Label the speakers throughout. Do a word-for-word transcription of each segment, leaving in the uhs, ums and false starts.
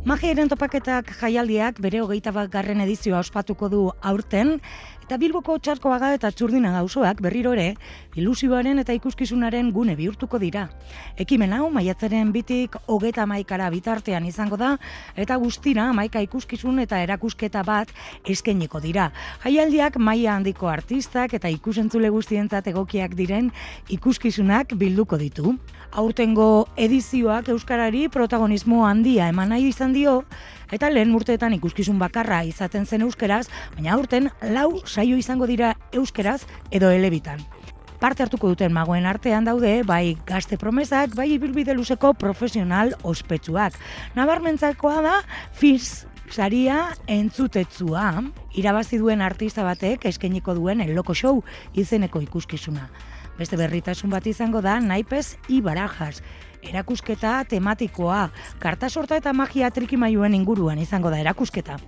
Speaker 1: Magiaren topaketak jaialdiak bere hogeita bat garren edizioa ospatuko du aurten, eta Bilboko Txarkoaga eta Txurdinaga auzoak berriro ere ilusioaren eta ikuskizunaren gune bihurtuko dira. Ekimen hau maiatzaren bitik hogeita hamaikara bitartean izango da, eta guztira hamaika ikuskizun eta erakusketa bat eskainiko dira. Jaialdiak maila handiko artistak eta ikusentzule guztientzat egokiak diren ikuskizunak bilduko ditu. Aurtengo edizioak euskarari protagonismo handia eman nahi izan dio, eta lehen urteetan ikuskizun bakarra izaten zen euskeraz, baina aurten lau saio izango dira euskeraz edo elebitan. Parte hartuko duten magoen artean daude, bai gazte promesak, bai ibilbide luzeko profesional ospetsuak. Nabarmentzakoa da, Firs saria entzutetsua, irabazi duen artista batek eskainiko duen El Loco Show izeneko ikuskizuna. Beste berritasun bat izango da Naipes i Barajas, erakusketa tematikoa, karta sorta eta magia trikimailuen inguruan izango da erakusketa.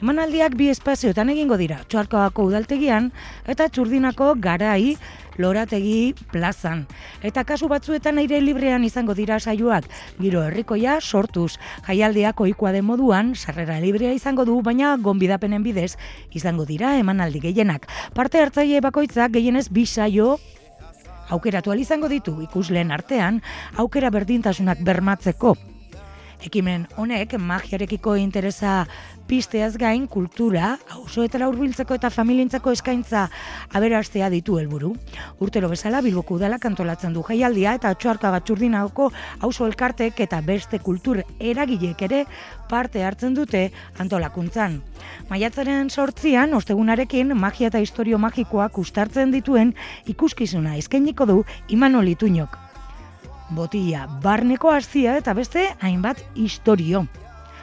Speaker 1: Emanaldiak bi espazioetan egingo dira, Txarkoagako udaltegian eta Txurdinako Garai Lorategi plazan. Eta kasu batzuetan aire librean izango dira saioak, giro herrikoia sortuz. Jaialdiak ohikoa den moduan, sarrera librea izango du, baina gonbidapenen bidez izango dira emanaldi gehienak. Parte hartzaile bakoitzak gehienez bi saio aukeratu ahal izango ditu ikusleen artean, aukera berdintasunak bermatzeko. Ekimen honek magiarekiko interesa pizteaz gain kultura, auzoetara hurbiltzeko eta familientzako eskaintza aberastea ditu helburu. Urtero bezala Bilboko udalak antolatzen du jaialdia eta Txarkoaga Txurdinagoko auzo elkartek eta beste kultur eragileek ere parte hartzen dute antolakuntzan. Maiatzaren sortzian, ostegunarekin, magia eta historio magikoak uztartzen dituen ikuskizuna eskainiko du Imanol Ituñok. Botila barneko hazia eta beste hainbat istorio.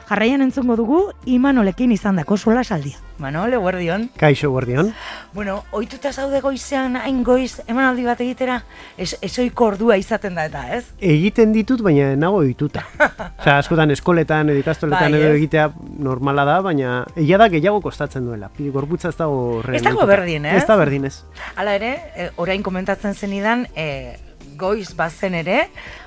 Speaker 1: Jarraian entzungo dugu Imanolekin izandako solasaldia. Manol, eguerdion.
Speaker 2: Kaixo, eguerdion.
Speaker 1: Bueno, ohituta zaude goizean hain goiz emanaldi bat egitera, ez ezoiko ordua izaten da eta, ez?
Speaker 2: Egiten ditut, baina nago ohituta. Osea, askotan eskoletan edo ikastoletan edo egitea normala da, baina egia da gehiago kostatzen duela. Gorputza ez dago horren.
Speaker 1: Ez dago berdin, ez?
Speaker 2: Ez da berdin, ez.
Speaker 1: Hala ere, orain komentatzen zenidan, e, goiz bazen ere,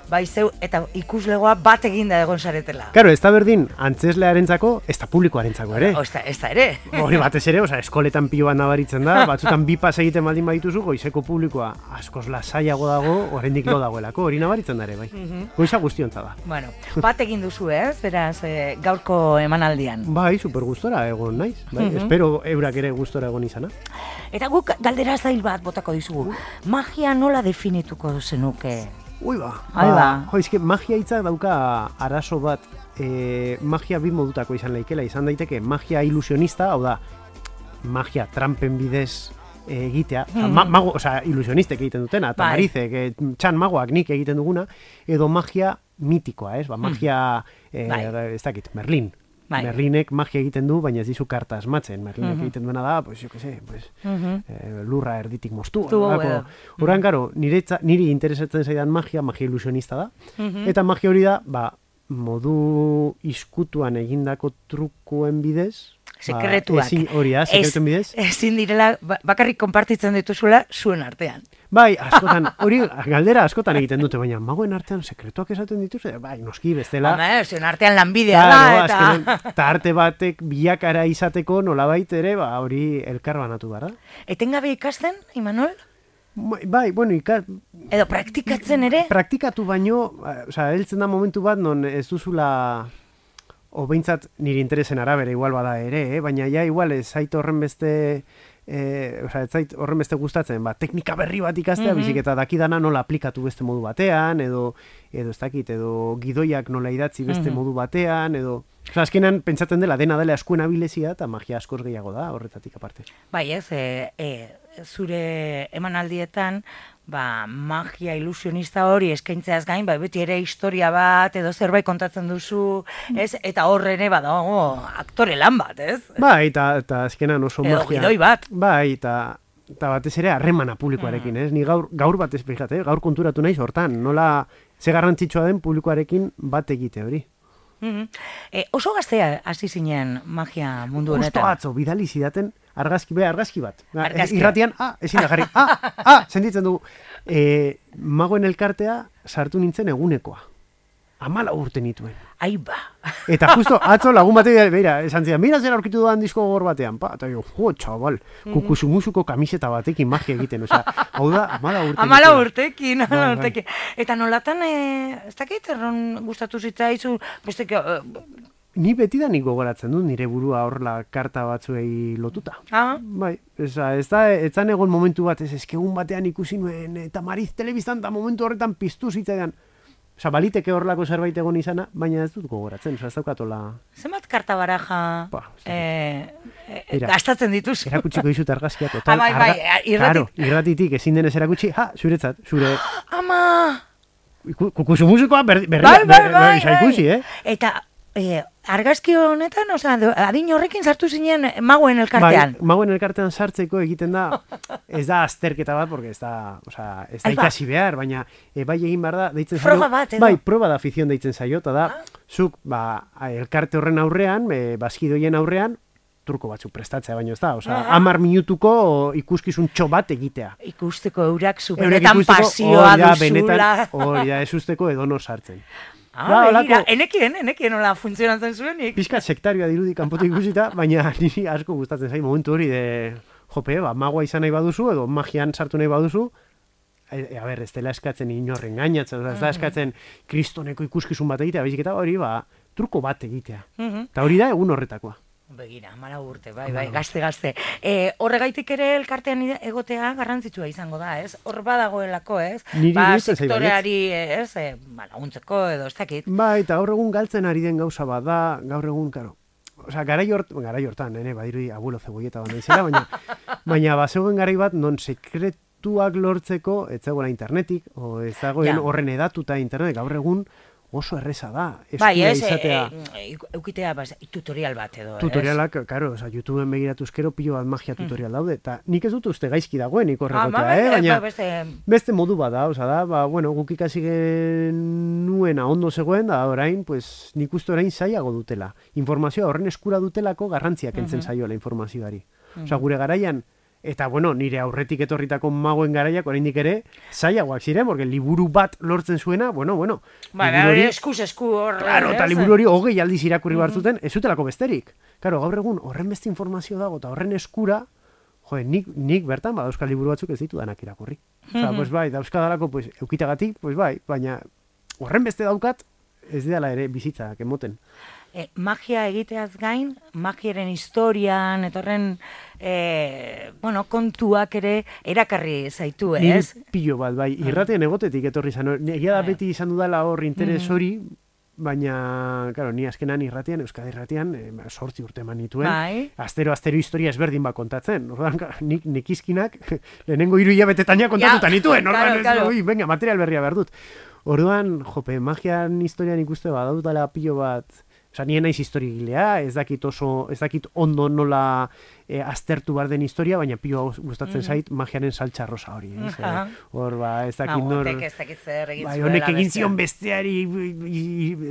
Speaker 1: bai zeu, eta ikuslegoa bat eginda egon saretela.
Speaker 2: Claro, ez da berdin, antzeslearentzako, ez da publikoarentzako ere.
Speaker 1: O, ez da, ez da ere.
Speaker 2: Hori batez ere, oza, eskoletan pilo bat nabaritzen da, batzutan bi pas egiten baldin badituzu, goizeko publikoa askoz lasaiago dago, oraindik lo dagoelako, hori nabaritzen da ere, bai. Goiza guztiontza da.
Speaker 1: Bueno, bat egin duzu, ez? Beraz, e, gaurko emanaldian.
Speaker 2: Bai, super gustora egon naiz, bai. Espero eurak ere gustora egon izana.
Speaker 1: Eta guk galdera zail bat botako dizugu. Magia nola definituko zenuke?
Speaker 2: Ui ba,
Speaker 1: ba, ba.
Speaker 2: Jo, izke, magia hitzak dauka arazo bat, e, magia bi modutako izan laikela, izan daiteke magia ilusionista, hau da, magia trampen bidez e, egitea, mm. ma, mago, oza, ilusionistek egiten dutena, eta marizek, e, txan magoak nik egiten duguna, edo magia mitikoa, ez, ba, magia, e, ez dakit, Merlin. Bai. Merlinek magia egiten du, baina ez dizu karta asmatzen. Merlinek uh-huh. egiten duena da, pues, jo que sé, pues, uh-huh. eh, lurra erditik moztu. Horan, garo, niri interesatzen zaidan magia, magia ilusionista da. Uh-huh. Eta magia hori da, ba, modu iskutuan egindako trukuen bidez,
Speaker 1: sekretuak.
Speaker 2: Ba, ezin, hori da, sekretuen bidez.
Speaker 1: Ezin direla, bakarrik konpartitzen dituzula zuen artean.
Speaker 2: Bai, askotan, hori galdera askotan egiten dute, baina magoen artean sekretuak esaten dituzte, bai, noski, bestela.
Speaker 1: Home, zuen artean lanbidea da, eta...
Speaker 2: Azkenean, eta arte batek bilakara izateko nolabait ere, ba, hori elkar banatu gara.
Speaker 1: Etengabe ikasten, Imanol?
Speaker 2: Bai, bueno, ikas...
Speaker 1: Edo praktikatzen ere?
Speaker 2: Praktikatu baino, osea, heltzen da momentu bat non ez duzula... O behintzat nire interesen arabera igual bada ere, eh? Baina ja igual ez zait horren beste, eh, oza, ez zait horren beste gustatzen, ba, teknika berri bat ikastea, mm-hmm. bizik eta dakidana nola aplikatu beste modu batean, edo, edo ez dakit, edo gidoiak nola idatzi beste mm-hmm. modu batean, edo... Oza, azkenan pentsatzen dela dena dela askuen abilezia eta magia askoz gehiago da horretatik aparte.
Speaker 1: Bai ez, e, e, zure emanaldietan, ba, magia ilusionista hori eskaintzeaz gain, ba, beti ere historia bat edo zerbait kontatzen duzu, ez? Eta horre ere badago aktore lan bat, ez?
Speaker 2: Bai, eta, eta azkenan oso
Speaker 1: edo
Speaker 2: magia.
Speaker 1: Edo gidoi bat.
Speaker 2: Bai, eta... Eta batez ere harremana publikoarekin, ez? Ni gaur, gaur batez, fíjate, gaur konturatu naiz hortan, nola ze garrantzitsua den publikoarekin bat egite hori.
Speaker 1: Mm-hmm. E, oso gaztea hasi zinen magia mundu honetan.
Speaker 2: Justo atzo, bidali zidaten argazki, be, argazki bat.
Speaker 1: Argazki.
Speaker 2: Irratian, ah, ezin da jarri, ah, ah, sentitzen du, e, magoen elkartea sartu nintzen egunekoa. Amala urte nituen.
Speaker 1: Ai ba.
Speaker 2: Eta justo atzo lagun batean, beira, esan zidan, mira zer aurkitu duan disko gogor batean, pa, eta jo, jo, txabal, kukusumusuko kamiseta batekin magia egiten, osea, hau da, amala urte.
Speaker 1: Amala urtekin, amala urtekin. Eta nolatan, ez dakit, erron gustatu zitzaizu, besteke,
Speaker 2: ni betidanik gogoratzen dut nire burua horla karta batzuei lotuta.
Speaker 1: Ah?
Speaker 2: Bai, eza, ez da, etzan egon momentu bat, ez eskegun batean ikusi nuen, eta Mariz telebistan, eta momentu horretan piztu zitzaidan. Osa, baliteke horlako zerbait egon izana, baina ez dut gogoratzen, osa, ez daukatola...
Speaker 1: Zenbat karta baraja
Speaker 2: ba,
Speaker 1: eh, eh, gastatzen dituzu?
Speaker 2: Erakutsiko dizut argazkia, total.
Speaker 1: Ah, bai, bai, irratit.
Speaker 2: Claro, irratitik ezin denez erakutsi, ha, zuretzat, zure...
Speaker 1: Ama!
Speaker 2: Kukusumuzikoa berri, berri,
Speaker 1: bai, bai,
Speaker 2: berri,
Speaker 1: bai,
Speaker 2: berri, ikusi, eh?
Speaker 1: Eta... Eh, argazki honetan, oza, adin horrekin sartu zinen magoen elkartean.
Speaker 2: Bai, magoen elkartean sartzeko egiten da, ez da azterketa bat, porque ez da, oza, ez da ikasi behar, baina e, bai egin behar da, deitzen zaio.
Speaker 1: Proba bat, edo?
Speaker 2: Bai, proba da afizion deitzen zaio, eta da, ah? Zuk, ba, elkarte horren aurrean, e, bazkidoien aurrean, truko batzuk prestatzea, baino ez da, oza, ah. amar minutuko ikuskizun txo bat egitea.
Speaker 1: Ikusteko eurak zu, benetan pasioa duzula.
Speaker 2: Hori da, ez usteko edono sartzen.
Speaker 1: Ah, ba, begira, enekien, enekien nola funtzionatzen zuenik.
Speaker 2: Pizkat sektarioa dirudi kanpotik ikusita, baina niri asko gustatzen zait momentu hori de, jope, ba, magoa izan nahi baduzu, edo magian sartu nahi baduzu, e, a ber, ez dela eskatzen inorren gainatzen, ez da eskatzen kristoneko ikuskizun bat egitea, baizik eta hori, ba, truko bat egitea. Eta hori da egun horretakoa.
Speaker 1: Begira, amala urte, bai, bai, gazte-gazte. E, horregaitik ere elkartean egotea garrantzitsua izango da, ez? Hor badagoelako, ez?
Speaker 2: Niri
Speaker 1: ba,
Speaker 2: gustatzen zait,
Speaker 1: sektoreari, ez? E, ba, laguntzeko edo, ez dakit.
Speaker 2: Bai, eta gaur egun galtzen ari den gauza bada, gaur egun, karo. Osea, garai hort, garai hortan, nene, badirudi abuelo zeboieta bat naizela, baina, baina bazegoen garai bat non sekretuak lortzeko, ez zegoela internetik, o ez dagoen horren edatuta internet, gaur egun, oso erreza da.
Speaker 1: Bai, ez, izatea, e, e, eukitea bas, tutorial bat edo,
Speaker 2: tutorialak, ez? Karo, oza, YouTubeen begiratuz kero pilo bat magia tutorial daude, eta nik ez dut uste gaizki dagoen ikorrekotea, ah, eh? Baina
Speaker 1: beste...
Speaker 2: beste modu bat da, oza da, ba, bueno, guk ikasi genuena ondo zegoen, da orain, pues, nik uste orain zaiago dutela. Informazioa horren eskura dutelako garrantziak entzen zaioela informazioari. Oza, gure garaian, eta, bueno, nire aurretik etorritako magoen garaiak oraindik ere zailagoak ziren, porque liburu bat lortzen zuena, bueno, bueno.
Speaker 1: Ba, hori eskuz esku hor.
Speaker 2: Claro, eta liburu hori hogei aldiz irakurri behar zuten, ez zutelako besterik. Claro, gaur egun horren beste informazio dago, eta horren eskura, joe, nik, nik bertan, ba, euskal liburu batzuk ez ditu danak irakurri. Osa, pues bai, dauzkadalako, pues, eukitagatik, pues bai, baina horren beste daukat, ez dela ere bizitzak emoten.
Speaker 1: E, magia egiteaz gain, magiaren historian, etorren, e, bueno, kontuak ere erakarri zaitu, ez?
Speaker 2: Niri pilo bat, bai, irratean egotetik etorri zan, egia da beti izan dudala hor interes hori, baina, claro, ni azkenan irratean, Euskadi irratean, e, sortzi urte eman nituen,
Speaker 1: bai.
Speaker 2: astero, astero historia ezberdin bat kontatzen, orduan, nik nekizkinak, lehenengo hiru hilabetetaina kontatuta nituen, orduan, claro, claro. Ui, venga, material berria behar dut. Orduan, jope, magian historian ikuste badautala pilo bat, oza, nien naiz historigilea, ez dakit oso, ez dakit ondo nola e, aztertu behar den historia, baina pilo gustatzen mm-hmm. zait magiaren saltsa rosa hori, ez? Uh-huh. Hor, ba, ez dakit
Speaker 1: no,
Speaker 2: nor...
Speaker 1: ez dakit zer egin
Speaker 2: bai, honek egin zion besteari,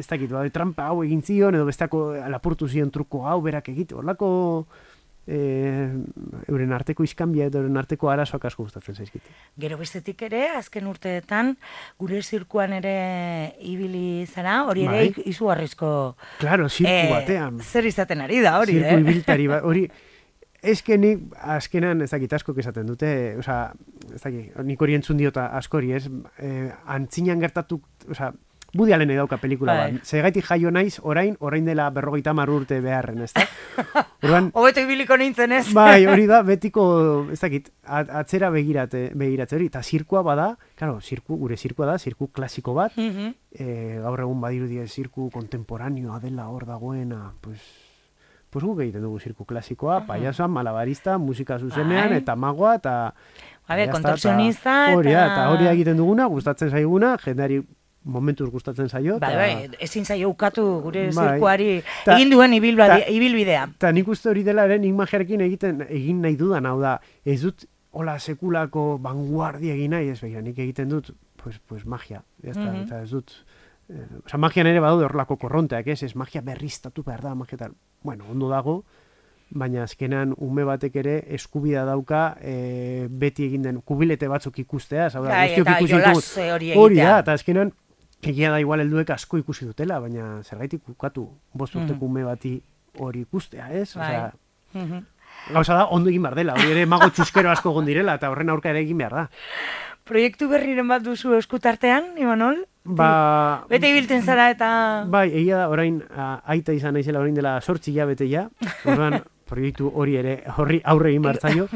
Speaker 2: ez dakit, ba, trampa hau egin zion, edo besteako lapurtu zion truko hau berak egite, horlako... E, euren arteko iskanbia edo euren arteko arazoak asko gustatzen zaizkite.
Speaker 1: Gero bestetik ere, azken urteetan, gure zirkuan ere ibili zara, hori ere bai. Izugarrizko...
Speaker 2: Claro, zirku e, batean.
Speaker 1: Zer izaten ari da, hori,
Speaker 2: zirku
Speaker 1: eh?
Speaker 2: Zirku ibiltari, ba, hori... Ezke nik azkenan ez dakit asko esaten dute, oza, ez dakit, nik hori entzun diota askori, ez? E, antzinan gertatu, oza, Woody Allen edauka pelikula bai. Bat. Zegaitik jaio naiz, orain, orain dela berrogeita hamar urte beharren, ez da?
Speaker 1: Hobeto ibiliko nintzen ez?
Speaker 2: Bai, hori da, betiko, ez dakit, atzera begirate, begiratze hori, eta zirkua bada, claro, zirku, gure zirkua da, zirku klasiko bat, mm-hmm. e, gaur egun badirudi zirku kontemporanioa dela hor dagoena, pues, pues guk egiten dugu zirku klasikoa, uh-huh. payasoa, malabarista, musika zuzenean, bai. Eta magoa, eta...
Speaker 1: Habe, kontorsionista, eta...
Speaker 2: Hori, eta hori egiten duguna, gustatzen zaiguna, jendeari momentuz gustatzen zaio.
Speaker 1: Bai, bai, ezin zaio ukatu gure bai, zirkuari ta, egin duen ibilbidea. ibilbidea.
Speaker 2: Eta nik uste hori dela ere, nik magiarekin egiten, egin nahi dudan, hau da, ez dut hola sekulako vanguardia egin nahi, ez begira, nik egiten dut, pues, pues magia, jazta, mm-hmm. eta ez dut, eh, oza, magian ere badaude horrelako korronteak, ez, ez magia berriztatu behar da, magia tal, bueno, ondo dago, baina azkenan ume batek ere eskubida dauka e, beti egin den kubilete batzuk ikustea, hau da, guztiok ikusi ditut, hori da, eta azkenan egia da igual helduek asko ikusi dutela, baina zergaitik ukatu bost urteko ume bati hori ikustea, ez? Osea, gauza da, ondo egin behar dela, hori ere mago txuskero asko egon direla, eta horren aurka ere egin behar da.
Speaker 1: Proiektu berriren bat duzu eskutartean, Imanol?
Speaker 2: Ba...
Speaker 1: Bete ibiltzen zara eta...
Speaker 2: Bai, egia da, orain aita izan naizela orain dela sortzi hilabete ja, orduan proiektu hori ere horri aurre egin martzaio,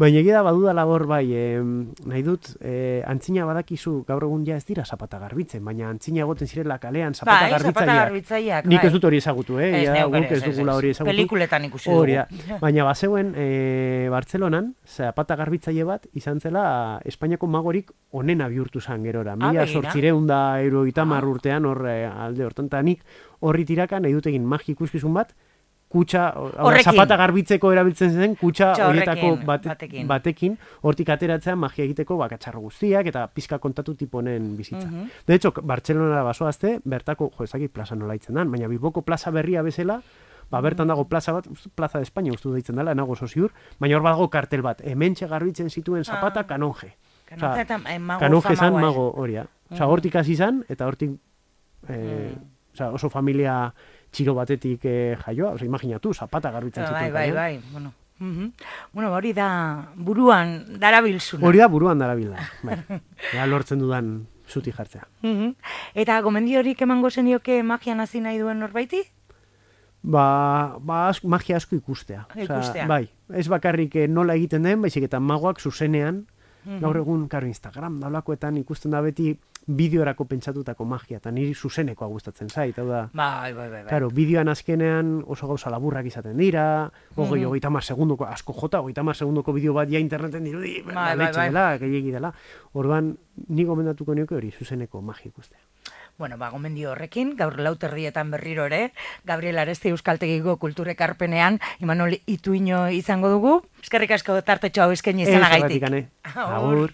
Speaker 2: baina egia da baduda labor bai, eh, nahi dut, eh, antzina badakizu gaur egun ja ez dira zapata garbitzen, baina antzina egoten zirela kalean zapata
Speaker 1: bai,
Speaker 2: garbitzaileak.
Speaker 1: garbitzaileak
Speaker 2: Nik
Speaker 1: bai.
Speaker 2: ez dut hori ezagutu, eh?
Speaker 1: Ez,
Speaker 2: ja,
Speaker 1: neuk
Speaker 2: guk ez dugula hori ezagutu.
Speaker 1: Pelikuletan ikusi dugu.
Speaker 2: Hori da. Baina bazeuen eh, Bartzelonan, zapata garbitzaile bat izan zela Espainiako magorik onena bihurtu zan gerora. Mila sortzireun da hirurogeita hamar urtean hor eh, alde hortan, eta nik horri tiraka nahi dut egin magi ikuskizun bat, kutsa, zapata garbitzeko erabiltzen zen, kutsa horietako bate, batekin. batekin, hortik ateratzea magia egiteko bakatxarro guztiak, eta pizka kontatu tiponen bizitza. Uh -huh. De hecho, Bartzelonara basoazte, bertako, jo, ezakit plaza nola itzen dan, baina Bilboko plaza berria bezala, ba, bertan dago plaza bat, plaza de España ustu deitzen dela, nago soziur, baina hor badago kartel bat, hementxe garbitzen zituen zapata ah. kanonje.
Speaker 1: Kanonje eta mago
Speaker 2: kanonje zan mago horia. Osa, hortik hasi zan, eta hortik eh, mm. osa, oso familia txiro batetik eh, jaioa, oza, imaginatu, zapata garbitzen zituen.
Speaker 1: Bai, bai, bai, bueno. Uh -huh. Bueno, hori da buruan darabilzuna.
Speaker 2: Hori da buruan darabilda, bai. Ea lortzen dudan zuti jartzea.
Speaker 1: Uh -huh. Eta gomendiorik emango zenioke magian hasi nahi duen norbaiti?
Speaker 2: Ba, ba asko, magia asko ikustea.
Speaker 1: Ikustea.
Speaker 2: Oza, bai, ez bakarrik nola egiten den, baizik eta magoak zuzenean, uh -huh. gaur egun, karo, Instagram, daulakoetan ikusten da beti, bideorako pentsatutako magia, eta niri zuzenekoa gustatzen zait, hau da...
Speaker 1: Bai, bai, bai.
Speaker 2: Claro, bideoan azkenean oso gauza laburrak izaten dira, hogei, mm -hmm. hogeita mar segundoko, asko jota, hogeita mar segundoko bideo bat ja interneten dirudi, bai, bai, bai. dela, gehiagi dela. Orduan, ni gomendatuko nioke hori, zuzeneko magia ikustea.
Speaker 1: Bueno, ba, gomendio horrekin, gaur lauterdietan berriro ere, Gabriel Aresti Euskaltegiko kulturekarpenean, Imanol Ituino izango dugu. Eskerrik asko tartetxo hau eskaini izanagaitik.
Speaker 2: Ez, erratik, ane. Agur.